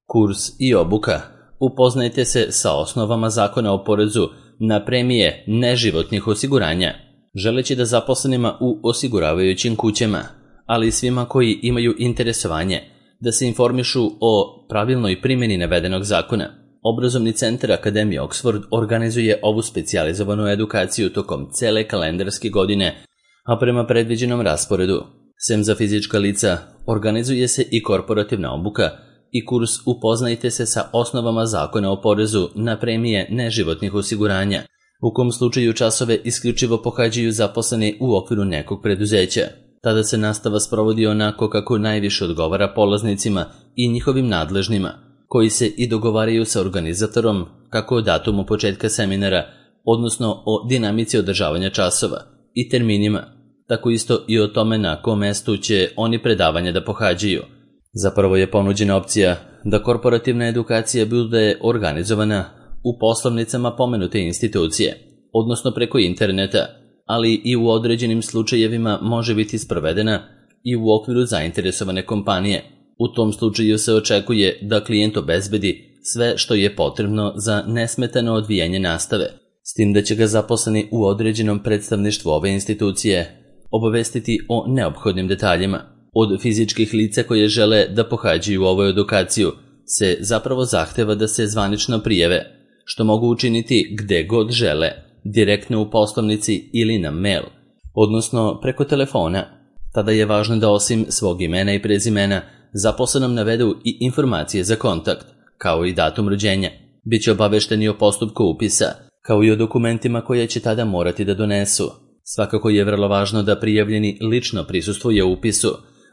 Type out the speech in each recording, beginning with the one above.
Kurs i obuka. Upoznajte se sa osnovama Zakona o porezu na premije neživotnih osiguranja. Želeći da zaposlenima u osiguravajućim kućama, ali i svima koji imaju interesovanje da se informišu o pravilnoj primjeni navedenog zakona, Obrazovni centar Akademije Oxford organizuje ovu specijalizovanu edukaciju tokom cele kalendarske godine, a prema predviđenom rasporedu. Sem za fizička lica, organizuje se i korporativna obuka i kurs Upoznajte se sa osnovama Zakona o porezu na premije neživotnih osiguranja, u kom slučaju časove isključivo pohađaju zaposleni u okviru nekog preduzeća. Tada se nastava sprovodi onako kako najviše odgovara polaznicima i njihovim nadležnima, koji se i dogovaraju sa organizatorom kako o datumu početka seminara, odnosno o dinamici održavanja časova i terminima, tako isto i o tome na kom mestu će oni predavanja da pohađaju. Zapravo je ponuđena opcija da korporativna edukacija bude organizovana u poslovnicama pomenute institucije, odnosno preko interneta, ali i u određenim slučajevima može biti sprovedena i u okviru zainteresovane kompanije. U tom slučaju se očekuje da klijent obezbedi sve što je potrebno za nesmetano odvijanje nastave, s tim da će ga zaposleni u određenom predstavništvu ove institucije obavestiti o neophodnim detaljima. Od fizičkih lica koje žele da pohađaju ovu edukaciju se zapravo zahteva da se zvanično prijave, što mogu učiniti gde god žele, direktno u poslovnici ili na mail, odnosno preko telefona. Tada je važno da osim svog imena i prezimena zaposlenom navedu i informacije za kontakt, kao i datum rođenja. Biće obavešteni o postupku upisa, kao i o dokumentima koje će tada morati da donesu. Svakako je vrlo važno da prijavljeni lično prisustvuje upisu,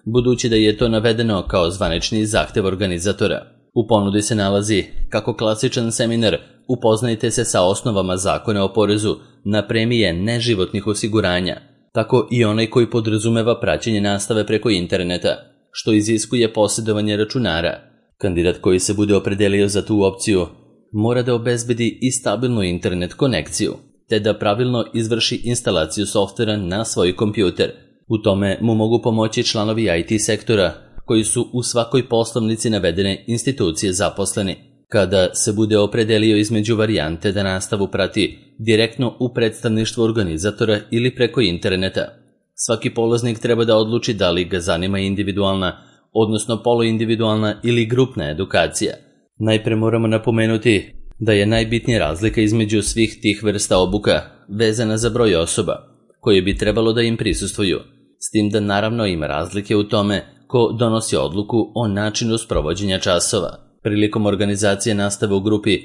budući da je to navedeno kao zvanični zahtev organizatora. U ponudi se nalazi kako klasičan seminar Upoznajte se sa osnovama Zakona o porezu na premije neživotnih osiguranja, tako i onaj koji podrazumeva praćenje nastave preko interneta, što iziskuje posjedovanje računara. Kandidat koji se bude opredelio za tu opciju mora da obezbedi i stabilnu internet konekciju, te da pravilno izvrši instalaciju softvera na svoj kompjuter. U tome mu mogu pomoći članovi IT sektora koji su u svakoj poslovnici navedene institucije zaposleni. Kada se bude opredelio između varijante da nastavu prati direktno u predstavništvu organizatora ili preko interneta, svaki polaznik treba da odluči da li ga zanima individualna, odnosno poluindividualna ili grupna edukacija. Najpre moramo napomenuti da je najbitnija razlika između svih tih vrsta obuka vezana za broj osoba koje bi trebalo da im prisustvuju, s tim da naravno ima razlike u tome ko donosi odluku o načinu sprovođenja časova. Prilikom organizacije nastave u grupi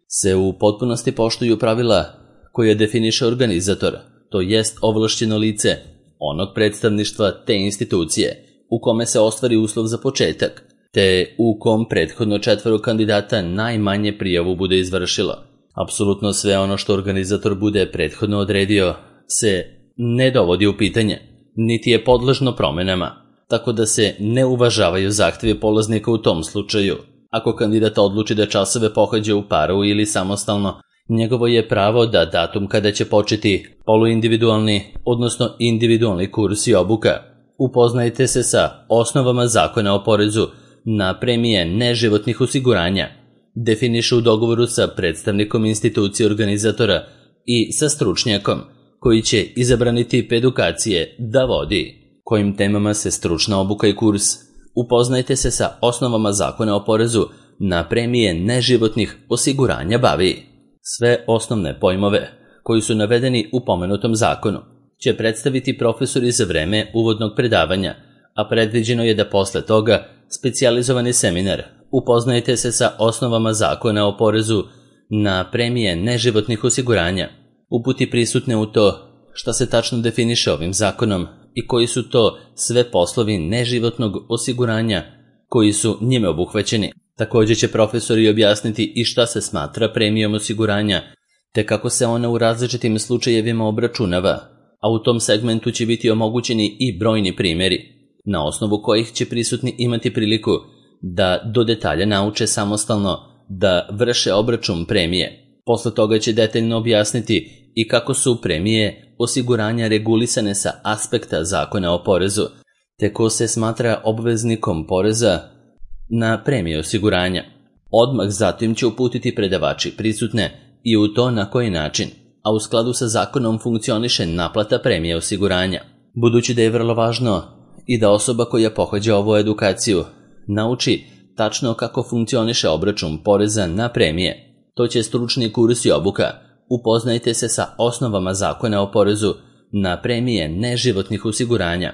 se u potpunosti poštuju pravila koje definiše organizator, to jest ovlašćeno lice onog predstavništva te institucije u kome se ostvari uslov za početak, te u kom prethodno 4 kandidata najmanje prijavu bude izvršilo. Apsolutno sve ono što organizator bude prethodno odredio se ne dovodi u pitanje, niti je podložno promenama, tako da se ne uvažavaju zahtjevi polaznika u tom slučaju. Ako kandidat odluči da časove pohađa u paru ili samostalno, njegovo je pravo da datum kada će početi poluindividualni, odnosno individualni kurs i obuka Upoznajte se sa osnovama Zakona o porezu na premije neživotnih osiguranja definiše u dogovoru sa predstavnikom institucije organizatora i sa stručnjakom koji će izabrani tip edukacije da vodi. Kojim temama se stručna obuka i kurs Upoznajte se sa osnovama Zakona o porezu na premije neživotnih osiguranja bavi. Sve osnovne pojmove koji su navedeni u pomenutom zakonu će predstaviti profesori za vreme uvodnog predavanja, a predviđeno je da posle toga specijalizovani seminar Upoznajte se sa osnovama Zakona o porezu na premije neživotnih osiguranja uputi prisutne u to šta se tačno definiše ovim zakonom i koji su to sve poslovi neživotnog osiguranja koji su njime obuhvaćeni. Također će profesori objasniti i šta se smatra premijom osiguranja, te kako se ona u različitim slučajevima obračunava, a u tom segmentu će biti omogućeni i brojni primjeri, na osnovu kojih će prisutni imati priliku da do detalja nauče samostalno da vrše obračun premije. Posle toga će detaljno objasniti i kako su premije osiguranja regulisane sa aspekta Zakona o porezu, te ko se smatra obveznikom poreza na premije osiguranja. Odmah zatim će uputiti predavači prisutne i u to na koji način, a u skladu sa zakonom funkcioniše naplata premije osiguranja. Budući da je vrlo važno i da osoba koja pohađa ovu edukaciju nauči tačno kako funkcioniše obračun poreza na premije, to će stručni kurs i obuka Upoznajte se sa osnovama zakona o porezu na premije neživotnih osiguranja.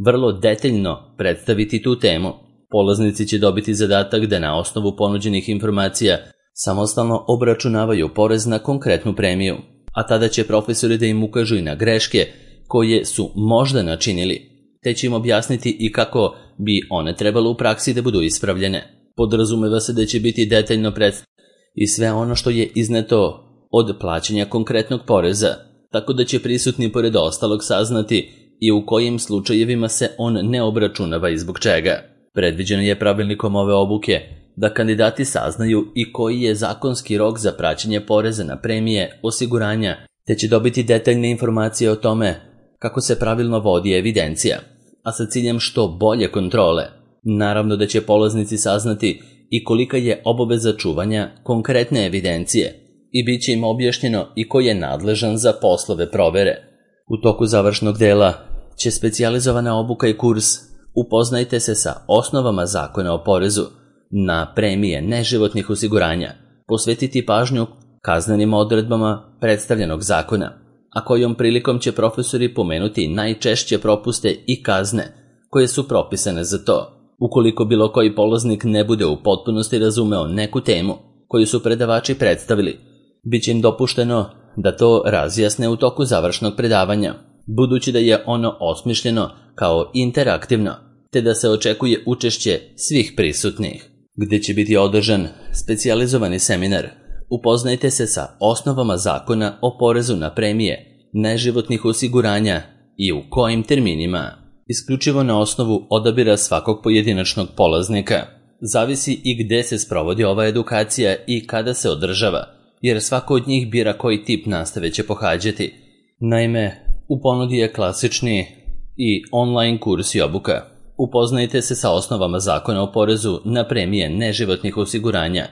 Vrlo detaljno predstaviti tu temu. Polaznici će dobiti zadatak da na osnovu ponuđenih informacija samostalno obračunavaju porez na konkretnu premiju, a tada će profesori da im ukažu i na greške koje su možda načinili, te će im objasniti i kako bi one trebalo u praksi da budu ispravljene. Podrazumeva se da će biti detaljno predstavljeno i sve ono što je izneto od plaćanja konkretnog poreza, tako da će prisutni pored ostalog saznati i u kojim slučajevima se on ne obračunava i zbog čega. Predviđeno je pravilnikom ove obuke da kandidati saznaju i koji je zakonski rok za praćenje poreza na premije osiguranja, te će dobiti detaljne informacije o tome kako se pravilno vodi evidencija, a sa ciljem što bolje kontrole. Naravno da će polaznici saznati i kolika je obaveza čuvanja konkretne evidencije i bit će im objašnjeno i ko je nadležan za poslove provere. U toku završnog dela će specijalizovana obuka i kurs Upoznajte se sa osnovama zakona o porezu na premije neživotnih osiguranja posvetiti pažnju kaznenim odredbama predstavljenog zakona, a kojom prilikom će profesori pomenuti najčešće propuste i kazne koje su propisane za to. Ukoliko bilo koji polaznik ne bude u potpunosti razumeo neku temu koju su predavači predstavili, bit će im dopušteno da to razjasne u toku završnog predavanja, budući da je ono osmišljeno kao interaktivno, te da se očekuje učešće svih prisutnih, gde će biti održan specijalizovani seminar Upoznajte se sa osnovama zakona o porezu na premije neživotnih osiguranja i u kojim terminima. Isključivo na osnovu odabira svakog pojedinačnog polaznika zavisi i gde se sprovodi ova edukacija i kada se održava, jer svako od njih bira koji tip nastave će pohađati. Naime, u ponudi je klasični i online kurs i obuka. Upoznajte se sa osnovama zakona o porezu na premije neživotnih osiguranja,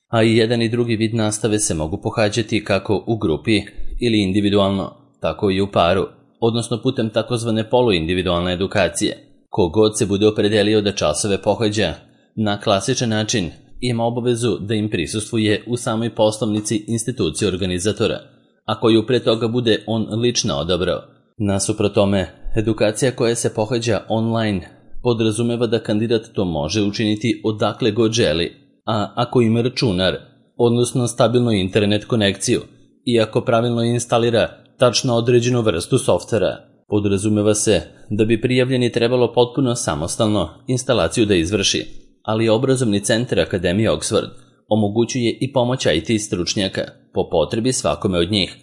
a i jedan i drugi vid nastave se mogu pohađati kako u grupi ili individualno, tako i u paru, odnosno putem takozvane poluindividualne edukacije. Kogod se bude opredelio da časove pohađa na klasičan način, ima obavezu da im prisustvuje u samoj poslovnici institucije organizatora, a koju pre toga bude on lično odabrao. Nasuprot tome, edukacija koja se pohađa online podrazumeva da kandidat to može učiniti odakle god želi, a ako ima računar, odnosno stabilnu internet konekciju, i ako pravilno instalira tačno određenu vrstu softvera, podrazumeva se da bi prijavljeni trebalo potpuno samostalno instalaciju da izvrši, ali obrazovni centar Akademije Oxford omogućuje i pomoć IT stručnjaka po potrebi svakome od njih.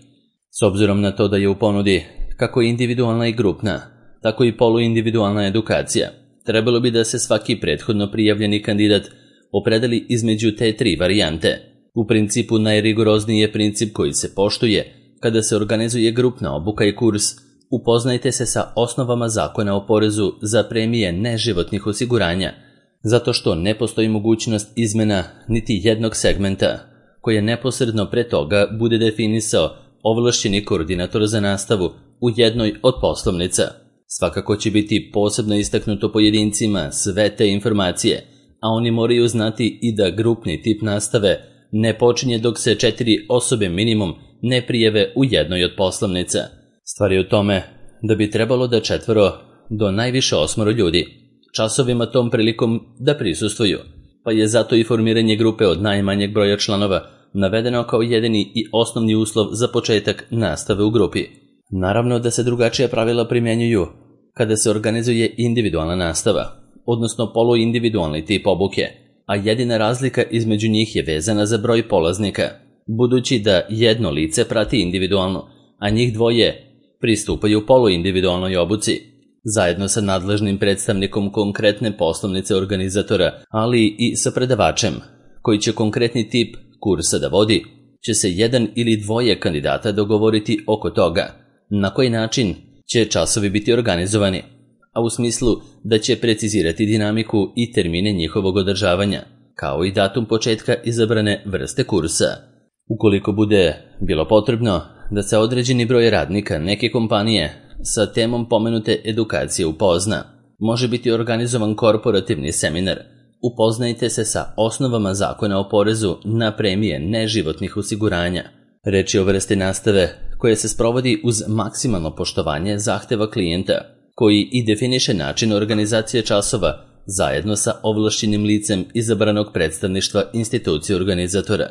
S obzirom na to da je u ponudi kako individualna i grupna, tako i poluindividualna edukacija, trebalo bi da se svaki prethodno prijavljeni kandidat opredeli između te tri varijante. U principu najrigorozniji je princip koji se poštuje kada se organizuje grupna obuka i kurs Upoznajte se sa osnovama zakona o porezu za premije neživotnih osiguranja, zato što ne postoji mogućnost izmena niti jednog segmenta koje neposredno pre toga bude definisao ovlašćeni koordinator za nastavu u jednoj od poslovnica. Svakako će biti posebno istaknuto pojedincima sve te informacije, a oni moraju znati i da grupni tip nastave ne počinje dok se 4 osobe minimum ne prijave u jednoj od poslovnica. Stvar je u tome da bi trebalo da 4 do najviše 8 ljudi časovima tom prilikom da prisustvuju, pa je zato i formiranje grupe od najmanjeg broja članova navedeno kao jedini i osnovni uslov za početak nastave u grupi. Naravno da se drugačija pravila primjenjuju kada se organizuje individualna nastava, odnosno poluindividualni tip obuke, a jedina razlika između njih je vezana za broj polaznika, budući da jedno lice prati individualno, a njih dvoje pristupaju poluindividualnoj obuci, zajedno sa nadležnim predstavnikom konkretne poslovnice organizatora, ali i sa predavačem, koji će konkretni tip kursa da vodi, će se jedan ili dvoje kandidata dogovoriti oko toga na koji način će časovi biti organizovani, a u smislu da će precizirati dinamiku i termine njihovog održavanja, kao i datum početka izabrane vrste kursa. Ukoliko bude bilo potrebno da se određeni broj radnika neke kompanije sa temom pomenute edukacije upozna, može biti organizovan korporativni seminar. Upoznajte se sa osnovama zakona o porezu na premije neživotnih osiguranja. Reč je o vrsti nastave koja se sprovodi uz maksimalno poštovanje zahteva klijenta, koji i definiše način organizacije časova zajedno sa ovlašćenim licem izabranog predstavništva institucije organizatora.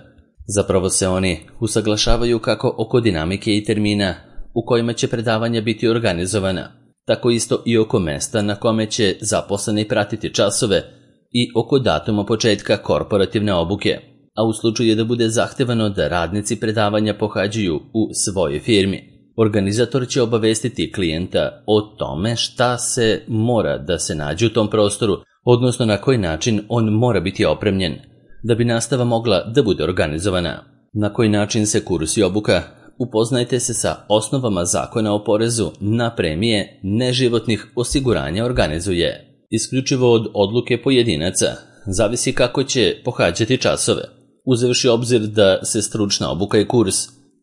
Zapravo se oni usaglašavaju kako oko dinamike i termina u kojima će predavanja biti organizovana, tako isto i oko mesta na kome će zaposleni pratiti časove i oko datuma početka korporativne obuke, a u slučaju da bude zahtevano da radnici predavanja pohađaju u svojoj firmi, organizator će obavestiti klijenta o tome šta se mora da se nađe u tom prostoru, odnosno na koji način on mora biti opremljen, da bi nastava mogla da bude organizovana. Na koji način se kurs i obuka? Upoznajte se sa osnovama zakona o porezu na premije neživotnih osiguranja organizuje. Isključivo od odluke pojedinaca zavisi kako će pohađati časove. Uzevši obzir da se stručna obuka i kurs,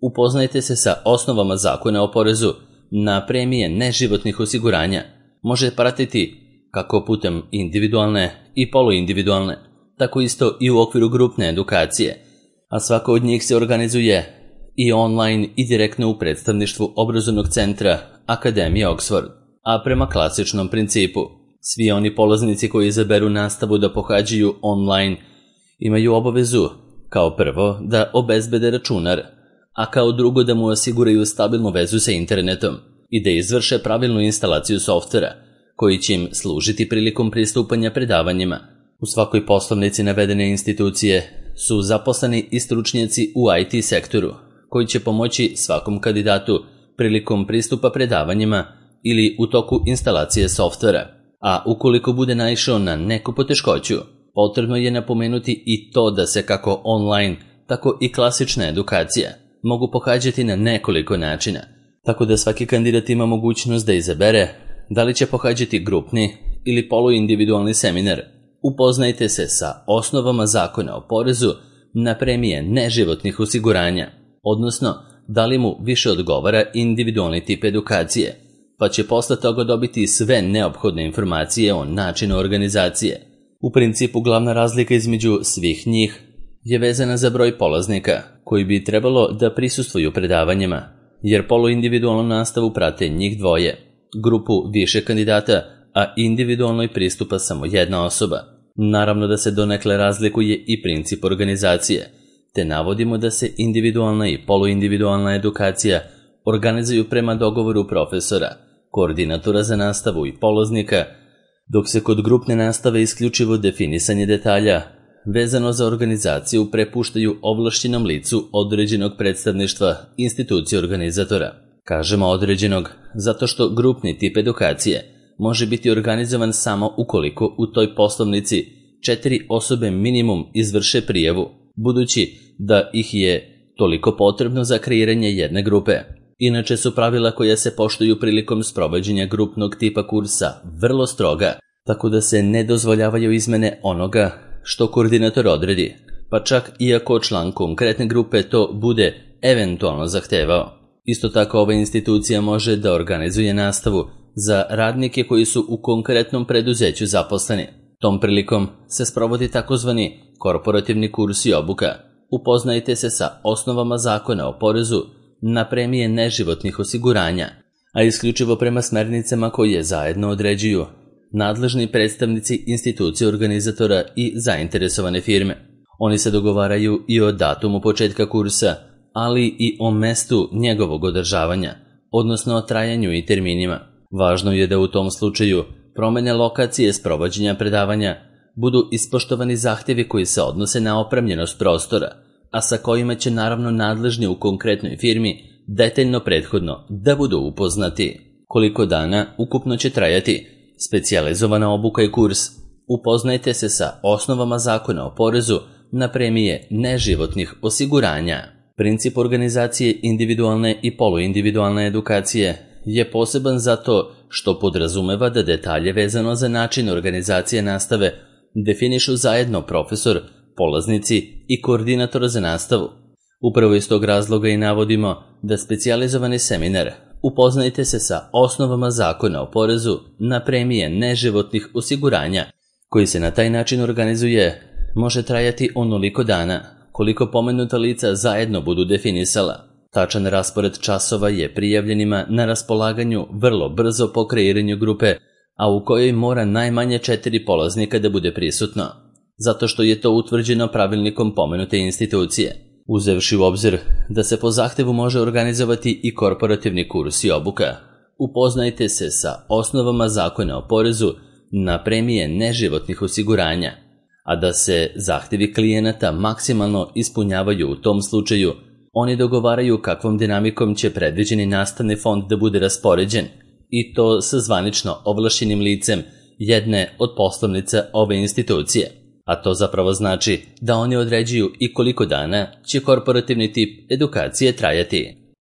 upoznajte se sa osnovama zakona o porezu na premije neživotnih osiguranja može pratiti kako putem individualne i poluindividualne, tako isto i u okviru grupne edukacije, a svaka od njih se organizuje i online i direktno u predstavništvu obrazovnog centra Akademije Oxford, a prema klasičnom principu. Svi oni polaznici koji izaberu nastavu da pohađaju online imaju obavezu kao prvo da obezbede računar, a kao drugo da mu osiguraju stabilnu vezu sa internetom i da izvrše pravilnu instalaciju softvera koji će im služiti prilikom pristupanja predavanjima. U svakoj poslovnici navedene institucije su zaposleni i stručnjaci u IT sektoru koji će pomoći svakom kandidatu prilikom pristupa predavanjima ili u toku instalacije softvera. A ukoliko bude naišao na neku poteškoću, potrebno je napomenuti i to da se kako online, tako i klasična edukacija mogu pohađati na nekoliko načina, tako da svaki kandidat ima mogućnost da izabere da li će pohađati grupni ili poluindividualni seminar. Upoznajte se sa osnovama zakona o porezu na premije neživotnih osiguranja, odnosno da li mu više odgovara individualni tip edukacije, pa će posle toga dobiti sve neophodne informacije o načinu organizacije. U principu glavna razlika između svih njih je vezana za broj polaznika koji bi trebalo da prisustvuju predavanjima, jer poluindividualnu nastavu prate njih dvoje, grupu više kandidata, a individualnoj pristupa samo jedna osoba. Naravno da se donekle razlikuje i princip organizacije, te navodimo da se individualna i poluindividualna edukacija organizuju prema dogovoru profesora, koordinatora za nastavu i polaznika, dok se kod grupne nastave isključivo definisanje detalja vezano za organizaciju prepuštaju ovlašćenom licu određenog predstavništva institucije organizatora. Kažemo određenog zato što grupni tip edukacije može biti organizovan samo ukoliko u toj poslovnici 4 osobe minimum izvrše prijavu, budući da ih je toliko potrebno za kreiranje jedne grupe. Inače su pravila koja se poštuju prilikom sprovođenja grupnog tipa kursa vrlo stroga, tako da se ne dozvoljavaju izmene onoga što koordinator odredi, pa čak i ako član konkretne grupe to bude eventualno zahtevao. Isto tako ova institucija može da organizuje nastavu za radnike koji su u konkretnom preduzeću zaposleni. Tom prilikom se sprovodi takozvani korporativni kurs i obuka. Upoznajte se sa osnovama zakona o porezu na premije neživotnih osiguranja, a isključivo prema smernicama koje zajedno određuju nadležni predstavnici institucije organizatora i zainteresovane firme. Oni se dogovaraju i o datumu početka kursa, ali i o mestu njegovog održavanja, odnosno o trajanju i terminima. Važno je da u tom slučaju promene lokacije sprovođenja predavanja budu ispoštovani zahtjevi koji se odnose na opremljenost prostora, a sa kojima će naravno nadležni u konkretnoj firmi detaljno prethodno da budu upoznati. Koliko dana ukupno će trajati specijalizovana obuka i kurs? Upoznajte se sa osnovama zakona o porezu na premije neživotnih osiguranja. Princip organizacije individualne i poluindividualne edukacije je poseban zato što podrazumeva da detalje vezano za način organizacije nastave definišu zajedno profesor, polaznici i koordinator za nastavu. Upravo iz tog razloga i navodimo da specijalizovani seminar Upoznajte se sa osnovama zakona o porezu na premije neživotnih osiguranja, koji se na taj način organizuje, može trajati onoliko dana koliko pomenuta lica zajedno budu definisala. Tačan raspored časova je prijavljenima na raspolaganju vrlo brzo po kreiranju grupe, a u kojoj mora najmanje 4 polaznika da bude prisutno, zato što je to utvrđeno pravilnikom pomenute institucije. Uzevši u obzir da se po zahtevu može organizovati i korporativni kurs i obuka, upoznajte se sa osnovama zakona o porezu na premije neživotnih osiguranja, a da se zahtevi klijenata maksimalno ispunjavaju u tom slučaju, oni dogovaraju kakvom dinamikom će predviđeni nastavni fond da bude raspoređen, i to sa zvanično ovlašćenim licem jedne od poslovnica ove institucije. A to zapravo znači da oni određuju i koliko dana će korporativni tip edukacije trajati.